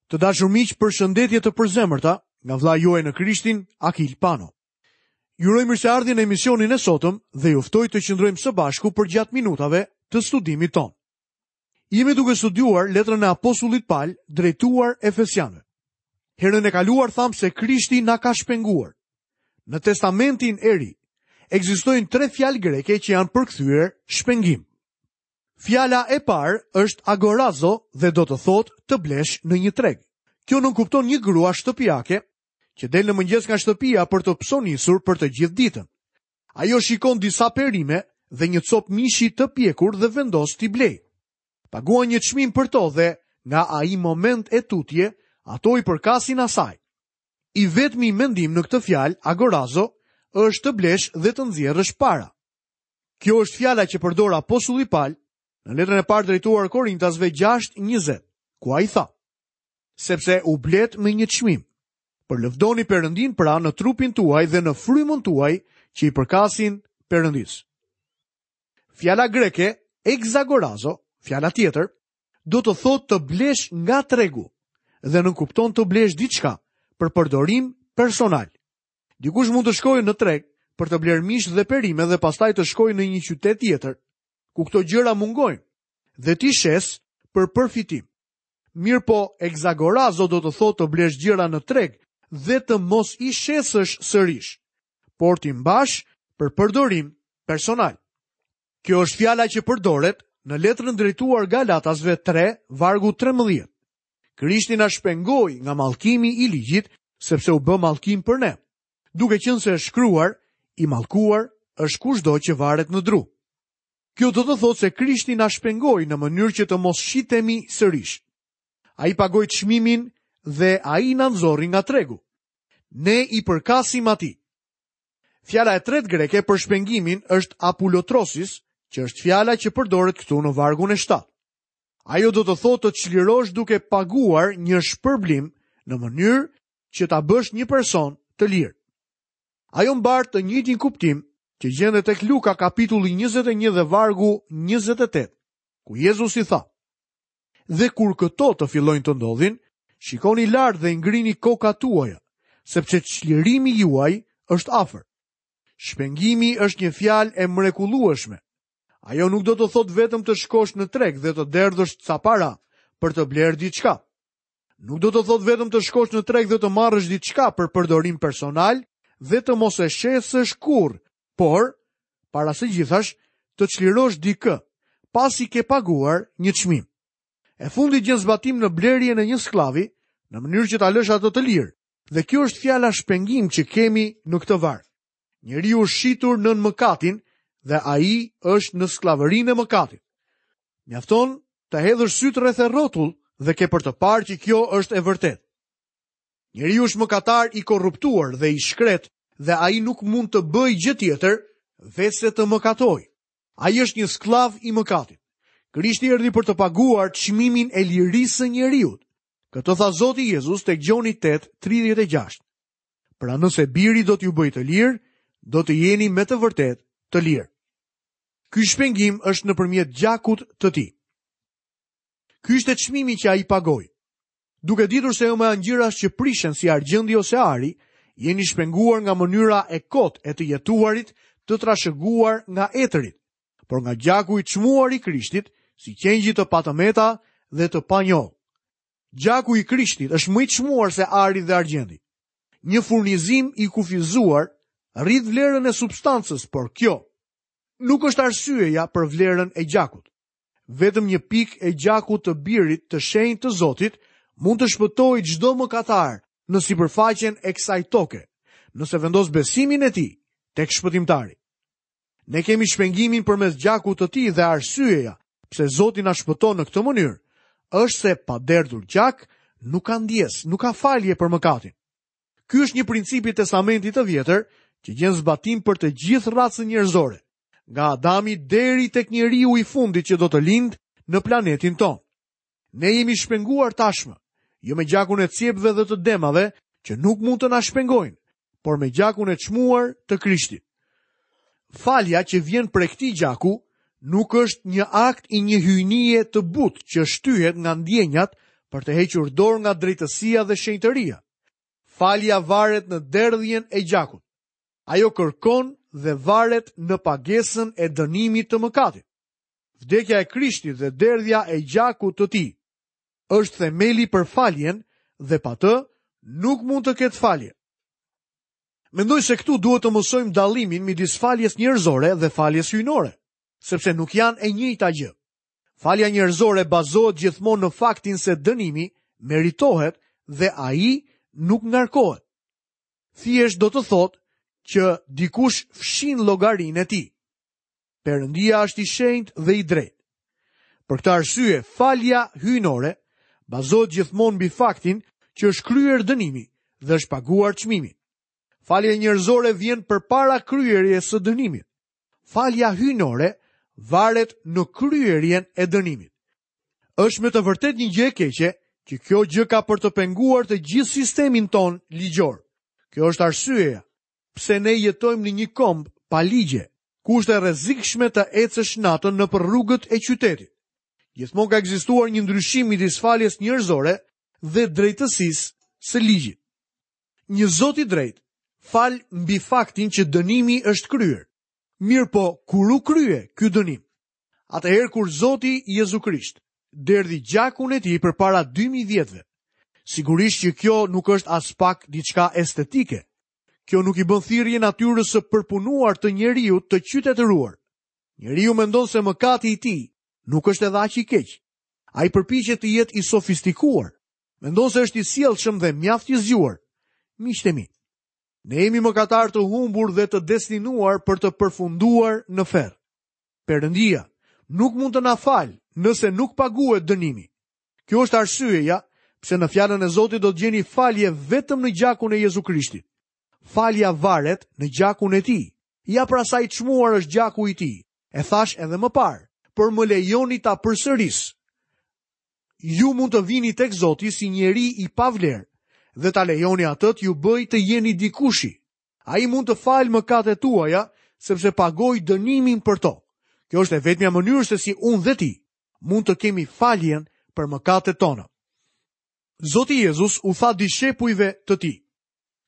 Të dashur miq, përshëndetje të përzemërta nga vëllai juaj në Krishtin, Akil Pano. Ju uroj mirëseardhjen në emisionin e sotëm dhe ju ftoj të qëndrojmë së bashku përgjatë minutave të studimit tonë. Jemi duke studiuar letrën e apostullit Pal drejtuar Efesianëve. Herën e kaluar thamë se Krishti na ka shpenguar. Në Testamentin e Ri ekzistojnë tre fjalë greke që janë përkthyer shpengim. Fjala e parë është agorazo dhe do të thotë të blesh në një treg. Kjo nënkupton një grua shtëpiake që del në mëngjes nga shtëpia për të psonisur për të gjithë ditën. Ajo shikon disa perime dhe një copë mishi të pjekur dhe vendos t'i blejë. Paguan një çmim për to dhe nga ai moment e tutje ato i përkasin asaj. I vetmi mendim në këtë fjalë agorazo është të blesh dhe të nxjerrësh para. Kjo është fjala që përdor apostulli Pal në letrën e parë drejtuar Korintasve 6:20, ku ai tha: Sepse u bletë me një çmim. Përlëvdoni Perëndinë pra në trupin tuaj dhe në frymën tuaj që i përkasin Perëndisë. Fjala greke exagorazo, fjala tjetër, do të thotë të blesh nga tregu dhe nënkupton të blesh diçka për përdorim personal. Dikush mund të shkojë në treg për të blerë mish dhe perime dhe pastaj të shkojë në një qytet tjetër, ku këto gjëra mungojnë, dhe t'i shesë për përfitim. Mirëpo, exagorazo do të thotë të blesh gjëra në treg dhe të mos i shesësh sërish, por t'i mbash për përdorim personal. Kjo është fjala që përdoret në letrën drejtuar Galatasve 3, vargu 13. Krishti na shpengoi nga mallkimi i ligjit, sepse u bë mallkim për ne. Duke qenë se është shkruar, i mallkuar është kushdo që varet në dru. Kjo do të thotë se Krishti na shpengoi në mënyrë që të mos shitemi sërish. Ai pagoi çmimin dhe ai na nxori nga tregu. Ne i përkasim atij. Fjala e tretë greke për shpengimin është apulotrosis, që është fjala që përdoret këtu në vargun e 7. Ajo do të thotë të çlirosh duke paguar një shpërblim në mënyrë që ta bësh një person të lirë. Ajo mbart të njëjtin kuptim që gjendet tek Luka kapitulli 21 dhe vargu 28, ku Jezusi tha: Dhe kur këto të fillojnë të ndodhin, shikoni lart dhe ngrini kokat tuaja, sepse çlirimi juaj është afër. Shpengimi është një fjalë e mrekullueshme. Ajo nuk do të thotë vetëm të shkosh në treg dhe të derdhësh ca para për të blerë diçka. Nuk do të thotë vetëm të shkosh në treg dhe të marrësh diçka për përdorim personal dhe të mos e shesësh kurrë, por para së gjithash të çlirosh dikë pasi ke paguar një çmim. E fundit gjen zbatim në blerjen e një skllavi në mënyrë që ta lësh atë të lirë. Dhe kjo është fjala shpengim që kemi në këtë varg. Njeriu është shitur nën mëkatin dhe ai është në skllavërinë e mëkatit. Mjafton të hedhësh sytë rreth e rrotull dhe ke për të parë që kjo është e vërtetë. Njeriu është mëkatar i korruptuar dhe i shkretë dhe ai nuk mund të bëjë gjë tjetër veçse të mëkatojë. Ai është një skllav i mëkatit. Krishti erdhi për të paguar çmimin e lirisë së njeriut. Këtë tha Zoti Jezus tek Gjoni 8:36. Pra nëse biri do t'ju bëjë të lirë, do të jeni me të vërtetë të lirë. Ky shpengim është nëpërmjet gjakut të tij. Ky ishte çmimi që ai pagoi. Duke ditur se jo me anë gjërash që prishen si argjendi ose ari, jeni shpenguar nga mënyra e kotë e të jetuarit të trashëguar nga etërit, por nga gjaku i çmuar i Krishtit, si qengji të patëmeta dhe të panjollë. Gjaku i Krishtit është më i çmuar se ari dhe argjendi. Një furnizim i kufizuar rrit vlerën e substancës, por kjo nuk është arsyeja për vlerën e gjakut. Vetëm një pikë e gjakut të birit të shenjtë të Zotit mund të shpëtojë çdo mëkatar në sipërfaqen e kësaj toke, nëse vendos besimin e tij tek shpëtimtari. Ne kemi shpengimin përmes gjakut të tij dhe arsyeja pse Zoti na shpëton në këtë mënyrë është se pa derdhur gjak nuk ka ndjesë, nuk ka falje për mëkatin. Ky është një princip i Testamentit të Vjetër që gjen zbatim për të gjithë racën njerëzore, nga Adami deri tek njeriu i fundit që do të lindë në planetin tonë. Ne jemi shpenguar tashmë, jo me gjakun e cjepve dhe të demave që nuk mund të na shpengojnë, por me gjakun e çmuar të Krishtit. Falja që vjen prej këtij gjaku nuk është një akt i një hyjnie të butë që shtyhet nga ndjenjat, për të hequr dorë nga drejtësia dhe shenjtëria. Falja varet në derdhjen e gjakut. Ajo kërkon dhe varet në pagesën e dënimit të mëkatit. Vdekja e Krishtit dhe derdhja e gjakut të tij është themeli për faljen dhe pa të nuk mund të ketë falje. Mendoj se këtu duhet të mësojmë dallimin midis faljes njerëzore dhe faljes hyjnore, sepse nuk janë e njëjta gjë. Falja njerëzore bazohet gjithmonë në faktin se dënimi meritohet dhe ai nuk ngarkohet. Thjesht do të thotë që dikush fshin llogarinë e tij. Perëndia është i shenjtë dhe i drejtë. Për këtë arsye, falja hyjnore bazohet gjithmonë mbi faktin që është kryer dënimi dhe është paguar çmimi. Falja njerëzore vjen përpara kryerjes së dënimit. Falja hyjnore varet në kryerjen e dënimit. Është me të vërtetë një gjë e keqe që kjo gjë ka për të penguar të gjithë sistemin tonë ligjor. Kjo është arsyeja pse ne jetojmë në një komb pa ligje, ku është e rrezikshme të ecësh natën nëpër rrugët e qytetit. Gjithmonë ka ekzistuar një ndryshim midis faljes njerëzore dhe drejtësisë së ligjit. Një Zot i drejtë fal mbi faktin që dënimi është kryer. Mirëpo, kur u krye ky dënim? Atëherë kur Zoti Jezu Krisht derdhi gjakun e tij përpara 2000 vjetëve. Sigurisht që kjo nuk është aspak diçka estetike. Kjo nuk i bën thirrje natyrës së përpunuar të njeriut të qytetëruar. Njeriu mendon se mëkati i tij nuk është edhe aq i keq. Ai përpiqet të jetë i sofistikuar. Mendon se është i sjellshëm dhe mjaft i zgjuar. Miqtë e mi, ne jemi mëkatarë të humbur dhe të destinuar për të përfunduar në ferr. Perëndia nuk mund të na falë nëse nuk paguhet dënimi. Kjo është arsyeja pse në fjalën e Zotit do të gjeni falje vetëm në gjakun e Jezu Krishtit. Falja varet në gjakun e tij. Ja pra sa i çmuar është gjaku i tij. E thashë edhe më parë, por më lejoni ta përsëris. Ju mund të vini tek Zoti si njeri i pavlerë dhe ta lejoni atë t'ju bëjë të jeni dikushi. Ai mund të falë mëkatet tuaja sepse pagoi dënimin për to. Kjo është e vetmja mënyrë se si unë dhe ti mund të kemi faljen për mëkatet tona. Zoti Jezus u tha dishepujve të tij: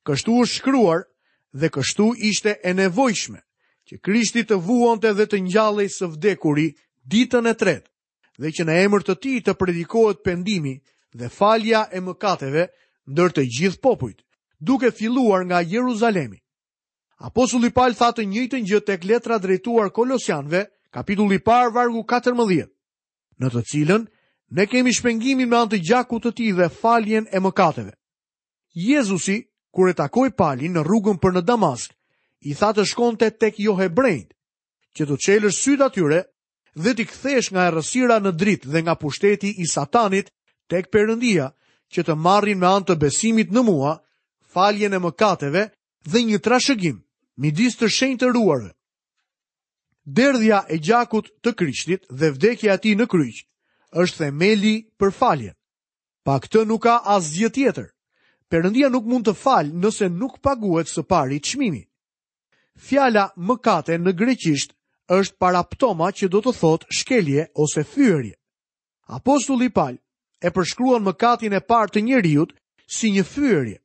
Kështu është shkruar dhe kështu ishte e nevojshme që Krishti të vuante dhe të ngjallej së vdekuri ditën e tretë dhe që në emër të tij të predikohet pendimi dhe falja e mëkateve ndër të gjithë popujt, duke filluar nga Jeruzalemi. Apostulli Pal tha të njëjtën gjë tek letra drejtuar Kolosianëve, kapitulli i parë vargu 14, në të cilën ne kemi shpengimin me anë të gjakut të tij dhe faljen e mëkateve. Jezusi, kur e takoi Palin në rrugën për në Damask, i tha të shkonte tek johebrenjtë, që t'u çelësh sytë atyre dhe t'i kthesh nga errësira në dritë dhe nga pushteti i Satanit tek Perëndia, që të marrin me anë të besimit në mua faljen e mëkateve dhe një trashëgim midis të shenjtëruarve. Derdhja e gjakut të Krishtit dhe vdekja e tij në kryq është themeli për faljen. Pa këtë nuk ka asgjë tjetër. Perëndia nuk mund të falë nëse nuk paguhet së pari çmimi. Fjala mëkate në greqisht është paraptoma që do të thotë shkelje ose fyerje. Apostulli Pal e përshkruan mëkatin e parë të njeriut si një fyerje.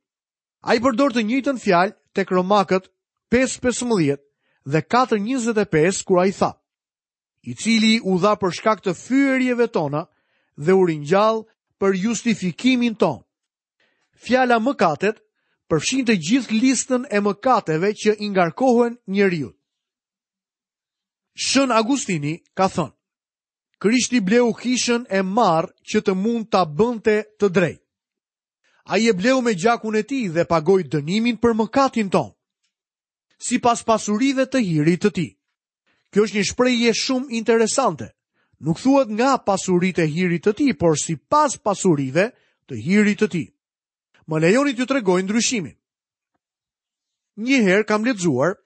Ai përdor të njëjtën fjalë tek Romakët 5:15 dhe 4:25 kur ai tha: i cili u dha për shkak të fyerjeve tona dhe u ringjall për justifikimin tonë. Fjala mëkatet përfshin të gjithë listën e mëkateve që i ngarkohen njeriut. Shën Agustini ka thënë: Krishti bleu kishën e marrë që të mund ta bënte të drejtë. Ai e bleu me gjakun e tij dhe pagoi dënimin për mëkatin tonë. Sipas pasurive të hirit të tij. Kjo është një shprehje shumë interesante. Nuk thuhet nga pasuritë e hirit të tij, por sipas pasurive të hirit të tij. Më lejoni t'ju tregoj ndryshimin. Një herë kam lexuar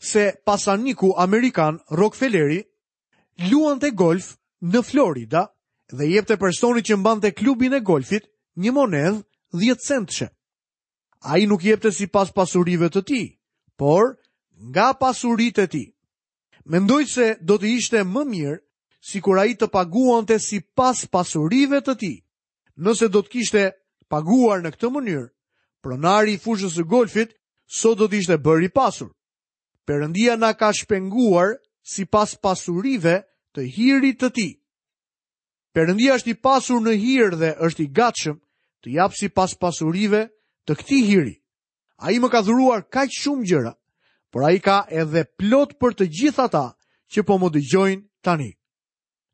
se pasaniku amerikan Rockefelleri luante golf në Florida dhe i jepte personit që mbante klubin e golfit një monedhë 10 centshe. Ai nuk jepte sipas pasurive të tij, por nga pasuritë e tij. Mendoj se do të ishte më mirë sikur ai të paguante sipas pasurive të tij. Nëse do të kishte paguar në këtë mënyrë, pronari i fushës së golfit sot do të ishte bërë i pasur. Perëndia na ka shpenguar sipas pasurive të hirit të tij. Perëndia është i pasur në hir dhe është i gatshëm të japë sipas pasurive të këtij hiri. Ai më ka dhuruar kaq shumë gjëra, por ai ka edhe plot për të gjithë ata që po më dëgjojnë tani.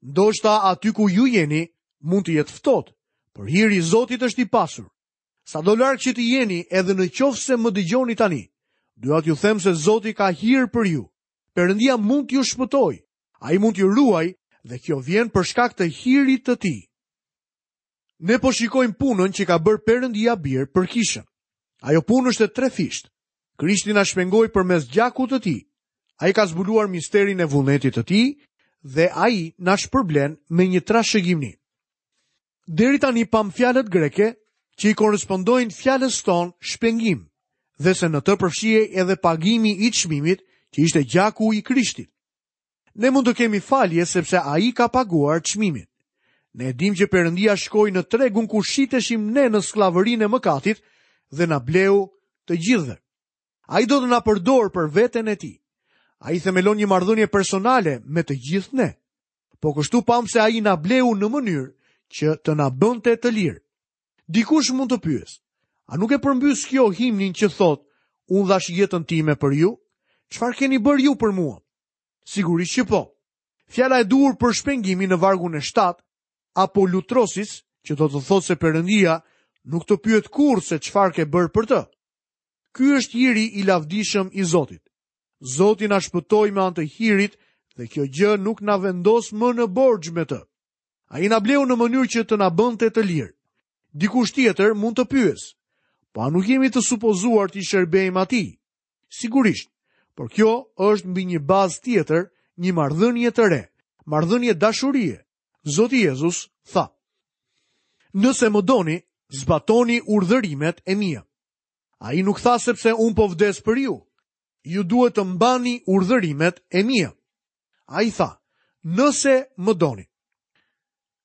Ndoshta aty ku ju jeni mund të jetë ftohtë, por hiri i Zotit është i pasur. Sado larg që të jeni edhe në qoftë se më dëgjoni tani, dua t'ju them se Zoti ka hir për ju. Perëndia mund t'ju shpëtojë, ai mund t'ju ruajë dhe kjo vjen për shkak të hirit të tij. Ne po shikojmë punën që ka bërë Perëndia Bir për kishën. Ajo punë është e trefishtë. Krishti na shpengoi përmes gjakut të tij. Ai ka zbuluar misterin e vullnetit të tij dhe ai na shpërblen me një trashëgimni. Deri tani pamë fjalët greke që i korrespondojnë fjalës tonë shpengim dhe se në të përfshihej edhe pagimi i çmimit që ishte gjaku i Krishtit. Ne mund të kemi falje sepse ai ka paguar çmimin. Ne e dimë që Perëndia shkoi në tregun ku shiteshim ne në skllavërinë e mëkatit dhe na bleu të gjithëve. Ai do të na përdorë për veten e tij. Ai themelon një marrëdhënie personale me të gjithë ne. Po kështu pamë se ai na bleu në mënyrë që të na bënte të lirë. Dikush mund të pyesë, a nuk e përmbys kjo himnin që thotë, unë dhashë jetën time për ju? Çfarë keni bërë ju për mua? Sigurisht që po. Fjala e duhur për shpengimin në vargun e 7, apolutrosis, që do të thotë se Perëndia nuk të pyet kurrë se çfarë ke bërë për të. Ky është hiri i lavdishëm i Zotit. Zoti na shpëtoi me anë të hirit dhe kjo gjë nuk na vendos më në borxh me të. Ai na bleu në mënyrë që të na bënte të lirë. Dikush tjetër mund të pyesë, po a nuk jemi të supozuar t'i shërbejmë atij? Sigurisht, por kjo është mbi një bazë tjetër, një marrëdhënie të re, marrëdhënie dashurie. Zoti Jezus tha: Nëse më doni, zbatoni urdhërimet e mia. Ai nuk tha sepse unë po vdes për ju. Ju duhet të mbani urdhërimet e mia. Ai tha, nëse më doni.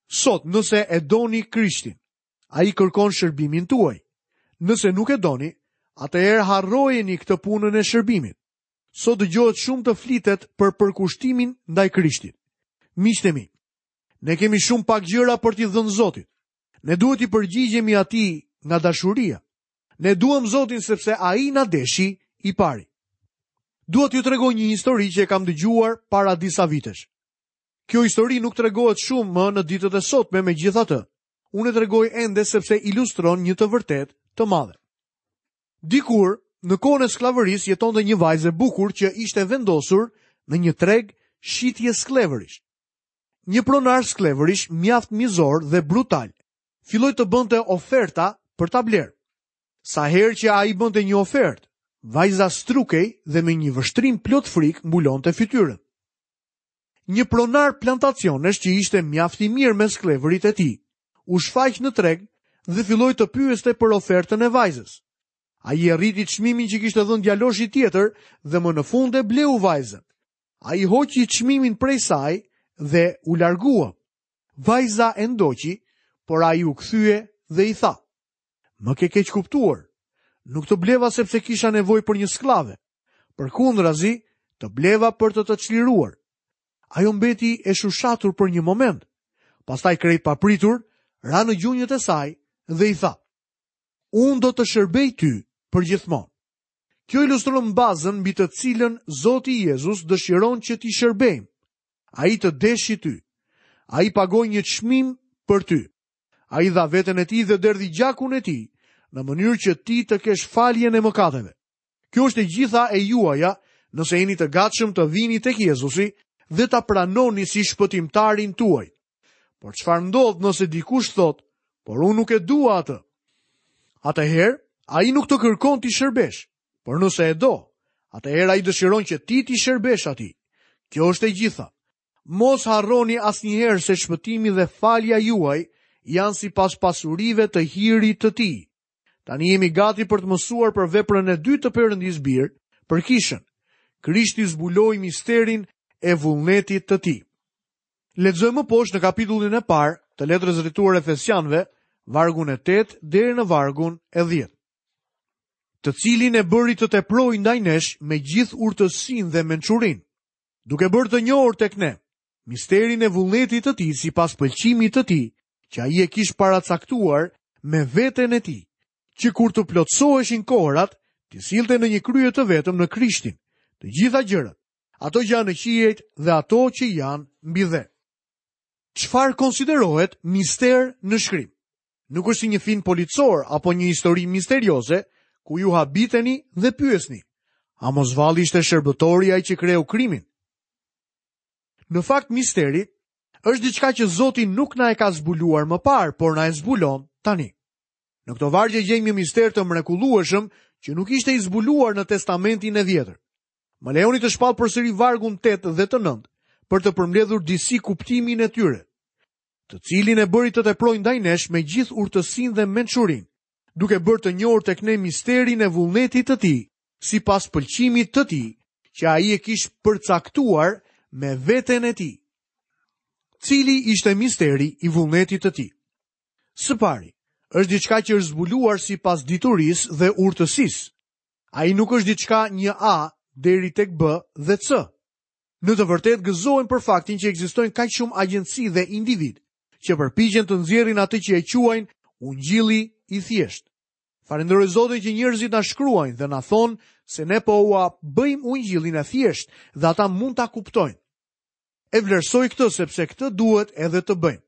Sot, nëse e doni Krishtin, Ai kërkon shërbimin tuaj. Nëse nuk e doni, atëherë harrojeni këtë punën e shërbimit. Sot dëgjohet shumë të flitet për përkushtimin ndaj Krishtit. Miqtë e mi, ne kemi shumë pak gjëra për t'i dhënë Zotit. Ne duhet t'i përgjigjemi atij nga dashuria. Ne duam Zotin sepse ai na deshi i pari. Dua t'ju tregoj një histori që e kam dëgjuar para disa vitesh. Kjo histori nuk tregohet shumë më në ditët e sotme, megjithatë. Unë e tregoj ende sepse ilustron një të vërtetë të madhe. Dikur, në kohën e skllavërisë jetonte një vajzë e bukur që ishte vendosur në një treg shitje skllevërish. Një pronar skllevërish mjaft mizor dhe brutal, filloi të bënte oferta për ta blerë. Sa herë që ai bënte një ofertë, vajza strukej dhe me një vështrim plot frikë mbulonte fytyrën. Një pronar plantacionesh që ishte mjaft i mirë me skllevërit e tij, u shfaq në treg dhe filloi të pyeste për ofertën e vajzës. Ai e rriti çmimin që kishte dhënë djaloshi tjetër dhe më në fund e bleu vajzën. Ai hoqi çmimin prej saj dhe u largua. Vajza e ndoqi, por ai u kthye dhe i tha: Më ke keqkuptuar. Nuk të bleva sepse kisha nevojë për një skllave. Përkundrazi, të bleva për të të çliruar. Ajo mbeti e shushatur për një moment. Pastaj krejt papritur, ra në gjunjët e saj dhe i tha: Unë do të shërbej ty përgjithmonë. Kjo ilustron bazën mbi të cilën Zoti Jezus dëshiron që t'i shërbejmë. Ai të deshi ty. Ai pagoi një çmim për ty. Ai dha veten e tij dhe derdhi gjakun e tij, në mënyrë që ti të kesh faljen e mëkateve. Kjo është e gjitha e juaja, nëse jeni të gatshëm të vini tek Jezusi dhe ta pranoni si shpëtimtarin tuaj. Por çfarë ndodh nëse dikush thotë, por unë nuk e dua atë? Atëherë, ai nuk të kërkon t'i shërbesh, por nëse e do, atëherë ai dëshiron që ti t'i shërbesh atij. Kjo është e gjitha. Mos harroni asnjëherë se shpëtimi dhe falja juaj janë sipas pasurive të hirit të tij. Tani jemi gati për të mësuar për veprën e dytë të Perëndisë Bir, për kishën. Krishti zbuloi misterin e vullnetit të tij. Lexojmë më poshtë në kapitullin e parë të letrës drejtuar Efesianëve, vargun e 8 deri në vargun e 10. Të cilin e bëri të teprojë ndaj nesh me gjithë urtësinë dhe mençurinë, duke bërë të njohur tek ne misterin e vullnetit të tij sipas pëlqimit të tij, që ai e kish paracaktuar me veten e tij, që kur të plotësoheshin kohërat, t'i sillte në një krye të vetëm në Krishtin, të gjitha gjërat, ato që janë në qiejt dhe ato që janë mbi dhe. Çfarë konsiderohet mister në shkrim? Nuk është si një film policor apo një histori misterioze ku ju habiteni dhe pyesni. A mos vallë ishte shërbëtori ai që kreu krimin? Në fakt misteri është diçka që Zoti nuk na e ka zbuluar më parë, por na e zbulon tani. Në këto vargje gjejmë një mister të mrekullueshëm që nuk ishte i zbuluar në Testamentin e Vjetër. Më lejoni të shpall përsëri vargun 8 dhe të 9 për të përmbledhur disi kuptimin e tyre, të cilin e bëri të teprojë ndaj nesh me gjithë urtësinë dhe mençurinë, duke bërë të njohur tek ne misterin e vullnetit të tij, sipas pëlqimit të tij, që ai e kish përcaktuar me veten e tij. Cili ishte misteri i vullnetit të tij? Së pari, është diçka që është zbuluar sipas diturisë dhe urtësisë. Ai nuk është diçka një A deri tek B dhe C. Në të vërtetë gëzohem për faktin që ekzistojnë kaq shumë agjenci dhe individë që përpiqen të nxjerrin atë që e quajnë ungjilli i thjeshtë. Falënderoj Zotin që njerëzit na shkruajnë dhe na thonë se ne po ua bëjmë ungjillin e thjeshtë dhe ata mund ta kuptojnë. E vlerësoj këtë sepse këtë duhet edhe të bëjmë.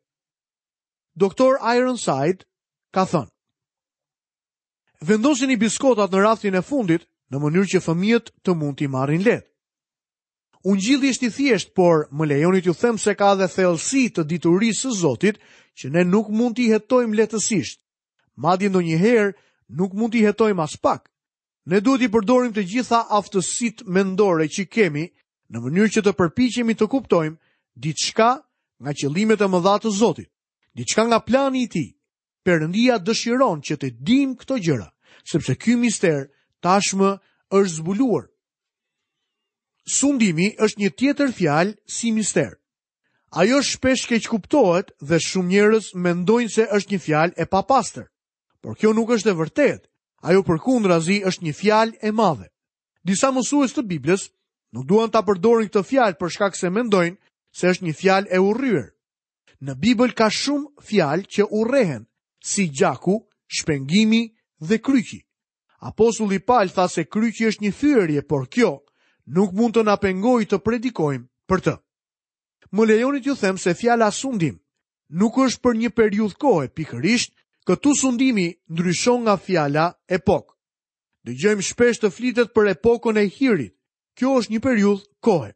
Doktor Ironside ka thënë: Vendosini biskotat në raftin e fundit në mënyrë që fëmijët të mund t'i marrin lehtë. Ungjilli është i thjeshtë, por më lejoni t'ju them se ka edhe thellësi të diturisë së Zotit që ne nuk mund t'i hetojmë lehtësisht. Madje ndonjëherë nuk mund t'i hetojmë aspak. Ne duhet t'i përdorim të gjitha aftësitë mendore që kemi në mënyrë që të përpiqemi të kuptojmë diçka nga qëllimet e mëdha të Zotit, diçka nga plani i tij. Perëndia dëshiron që të dimë këto gjëra, sepse ky mister tashmë është zbuluar. Sundimi është një tjetër fjalë si mister. Ajo shpesh keqkuptohet dhe shumë njerëz mendojnë se është një fjalë e papastër. Por kjo nuk është e vërtetë. Ajo përkundrazi është një fjalë e madhe. Disa mësues të Biblës nuk duan ta përdorin këtë fjalë për shkak se mendojnë se është një fjalë e urryer. Në Bibël ka shumë fjalë që urrehen, si gjaku, shpengimi dhe kryqi. Apostulli Pal tha se kryqi është një fyerje, por kjo nuk mund të na pengojë të predikojmë për të. Më lejoni t'ju them se fjala sundim nuk është për një periudhë kohe, pikërisht këtu sundimi ndryshon nga fjala epokë. Dëgjojmë shpesh të flitet për epokën e hirit. Kjo është një periudhë kohe.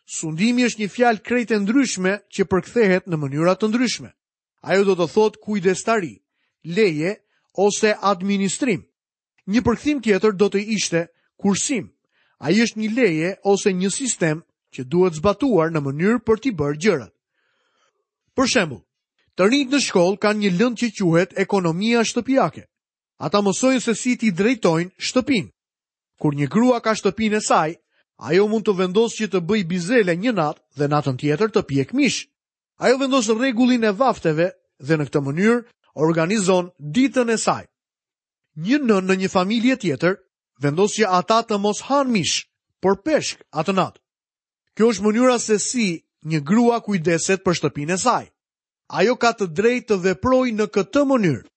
Sundimi është një fjalë krejt e ndryshme që përkthehet në mënyra të ndryshme. Ajo do të thotë kujdestari, leje ose administrim. Një përkthim tjetër do të ishte kursim. Ai është një leje ose një sistem që duhet zbatuar në mënyrë për t'i bërë gjërat. Për shembull, të rinjtë në shkollë kanë një lëndë që quhet ekonomia shtëpiake. Ata mësojnë se si t'i drejtojnë shtëpinë. Kur një grua ka shtëpinë e saj, ajo mund të vendosë që të bëjë bizele një natë dhe natën tjetër të pjekë mish. Ajo vendos rregullin e vafteve dhe në këtë mënyrë organizon ditën e saj. Një nënë në një familje tjetër vendos që ata të mos hanë mish, por peshk atë natë. Kjo është mënyra se si një grua kujdeset për shtëpinë e saj. Ajo ka të drejtë të veprojë në këtë mënyrë.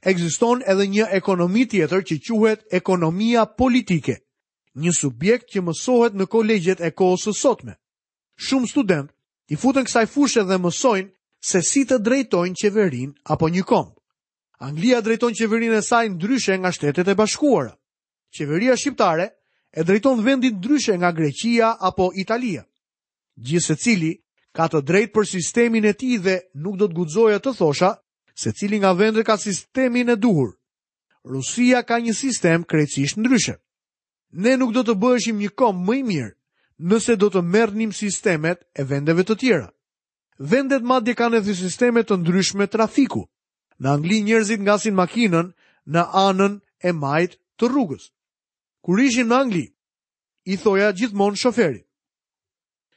Ekziston edhe një ekonomi tjetër që quhet ekonomia politike, një subjekt që mësohet në kolegjet e kohës së sotme. Shumë studentë i futen kësaj fushe dhe mësojnë se si të drejtojnë qeverinë apo një komb. Anglia drejton qeverinë e saj ndryshe nga Shtetet e Bashkuara. Qeveria shqiptare e drejton vendin ndryshe nga Greqia apo Italia. Gjithsecili ka të drejtë për sistemin e tij dhe nuk do të guxoja të thosha se cili nga vendet ka sistemin e duhur. Rusia ka një sistem krejtësisht ndryshe. Ne nuk do të bëheshim një komb më i mirë nëse do të merrnim sistemet e vendeve të tjera. Vendet madje kanë edhe sisteme të ndryshme trafiku. Në Angli njerëzit ngasin makinën në anën e majtë të rrugës. Kur ishim në Angli, i thoja gjithmonë shoferit.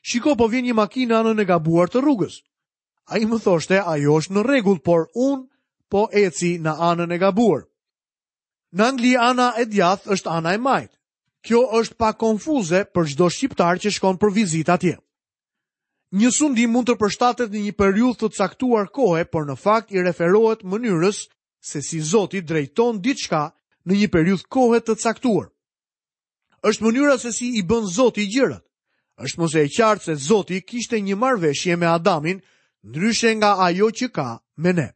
Shiko, po vjen një makinë në anën e gabuar të rrugës. Ai më thoshte, ajo është në rregull, por unë po eci në anën e gabuar. Në Angli ana e djathtë është ana e majtë. Kjo është pak konfuze për çdo shqiptar që shkon për vizitë atje. Një sundim mund të përshtatet në një periudhë të caktuar kohe, por në fakt i referohet mënyrës se si Zoti drejton diçka në një periudhë kohe të caktuar. Është mënyra se si i bën Zoti gjërat. Është më se e qartë se Zoti kishte një marrëveshje me Adamin, ndryshe nga ajo që ka me ne.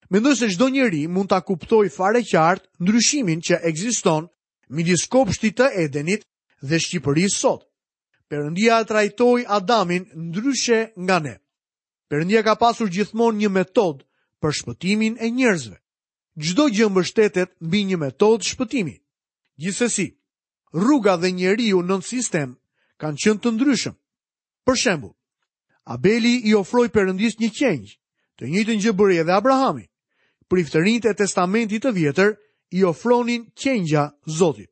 Mendoj se çdo njeri mund ta kuptojë fare qartë ndryshimin që ekziston midis kopshtit të Edenit dhe Shqipërisë sot. Perëndia e trajtoi Adamin ndryshe nga ne. Perëndia ka pasur gjithmonë një metodë për shpëtimin e njerëzve. Çdo gjë mbështetet mbi një metodë shpëtimi. Gjithsesi, rruga dhe njeriu nën sistem kanë qenë të ndryshëm. Për shembull, Abeli i ofroi Perëndisë një qengj. Të njëjtën gjë bëri edhe Abrahami. Priftërinjtë e Testamentit të Vjetër i ofronin qengja Zotit.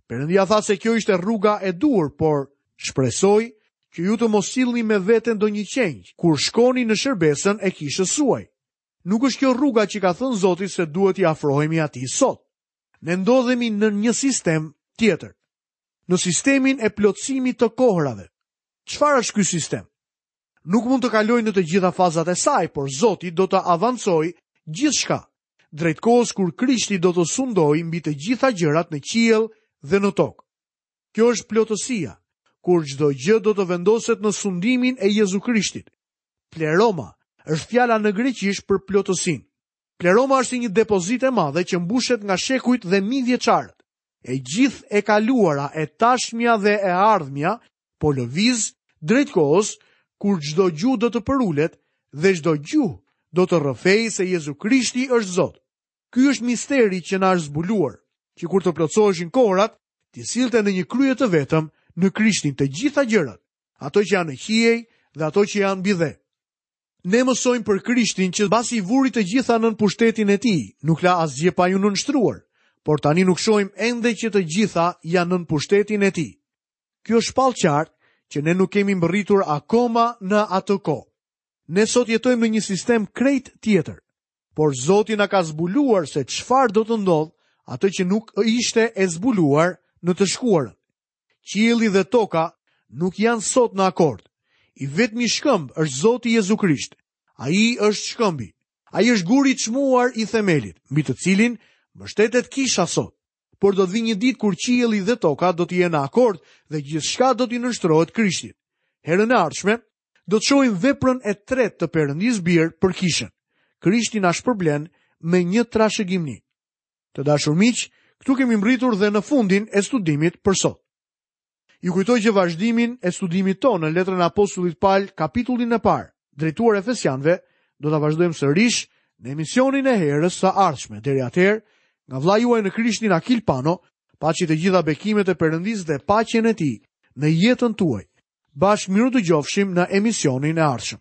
Perëndia tha se kjo ishte rruga e duhur, por shpresoj që ju të mos sillni me vete ndonjë qengj kur shkoni në shërbesën e kishës suaj. Nuk është kjo rruga që ka thënë Zoti se duhet t'i afrohemi atij sot. Ne ndodhemi në një sistem tjetër. Në sistemin e plotësimit të kohërave. Çfarë është ky sistem? Nuk mund të kaloj në të gjitha fazat e saj, por Zoti do të avancojë gjithçka drejt kohës kur Krishti do të sundojë mbi të gjitha gjërat në qiell dhe në tokë. Kjo është plotësia, kur çdo gjë do të vendoset në sundimin e Jezu Krishtit. Pleroma është fjala në greqisht për plotësinë. Pleroma është si një depozitë e madhe që mbushet nga shekujt dhe mijëvjeçarët. E gjithë e kaluara, e tashmja dhe e ardhmja po lëviz drejt kohës kur çdo gjuhë do të përulet dhe çdo gjuhë do të rrëfejë se Jezu Krishti është Zot. Ky është misteri që na është zbuluar, që kur të plotësoheshin kohërat, t'i sillte në një krye të vetëm në Krishtin të gjitha gjërat, ato që janë në qiej dhe ato që janë mbi dhe. Ne mësojmë për Krishtin që mbasi i vuri të gjitha nën pushtetin e tij, nuk la asgjë pa iu nënshtruar, por tani nuk shohim ende që të gjitha janë nën pushtetin e tij. Kjo shpall qartë që ne nuk kemi mbërritur akoma në atë kohë. Ne sot jetojmë në një sistem krejt tjetër, por Zoti na ka zbuluar se çfarë do të ndodhë, atë që nuk ishte e zbuluar në të shkuarën. Qielli dhe toka nuk janë sot në akord. I vetmi shkëmb është Zoti Jezu Krisht. Ai është shkëmbi. Ai është guri i çmuar i themelit, mbi të cilin mbështetet kisha sot. Por do të vijë një ditë kur qielli dhe toka do të jenë në akord dhe gjithçka do t'i nënshtrohet Krishtit. Herën e ardhshme do të shohim veprën e tretë të Perëndisë Bir për kishën. Krishti na shpërblen me një trashëgimni. Të dashur miq, këtu kemi mbërritur dhe në fundin e studimit për sot. Ju kujtoj që vazhdimin e studimit tonë në letrën e apostullit Pal, kapitullin e parë, drejtuar Efesianëve, do ta vazhdojmë sërish në emisionin e herës së ardhshme. Deri atëherë, nga vëllai juaj në Krishtin Akil Pano, paçi të gjitha bekimet e Perëndisë dhe paqen e tij në jetën tuaj. Bashkë mirudëgjofshim në emisionin e ardhshëm.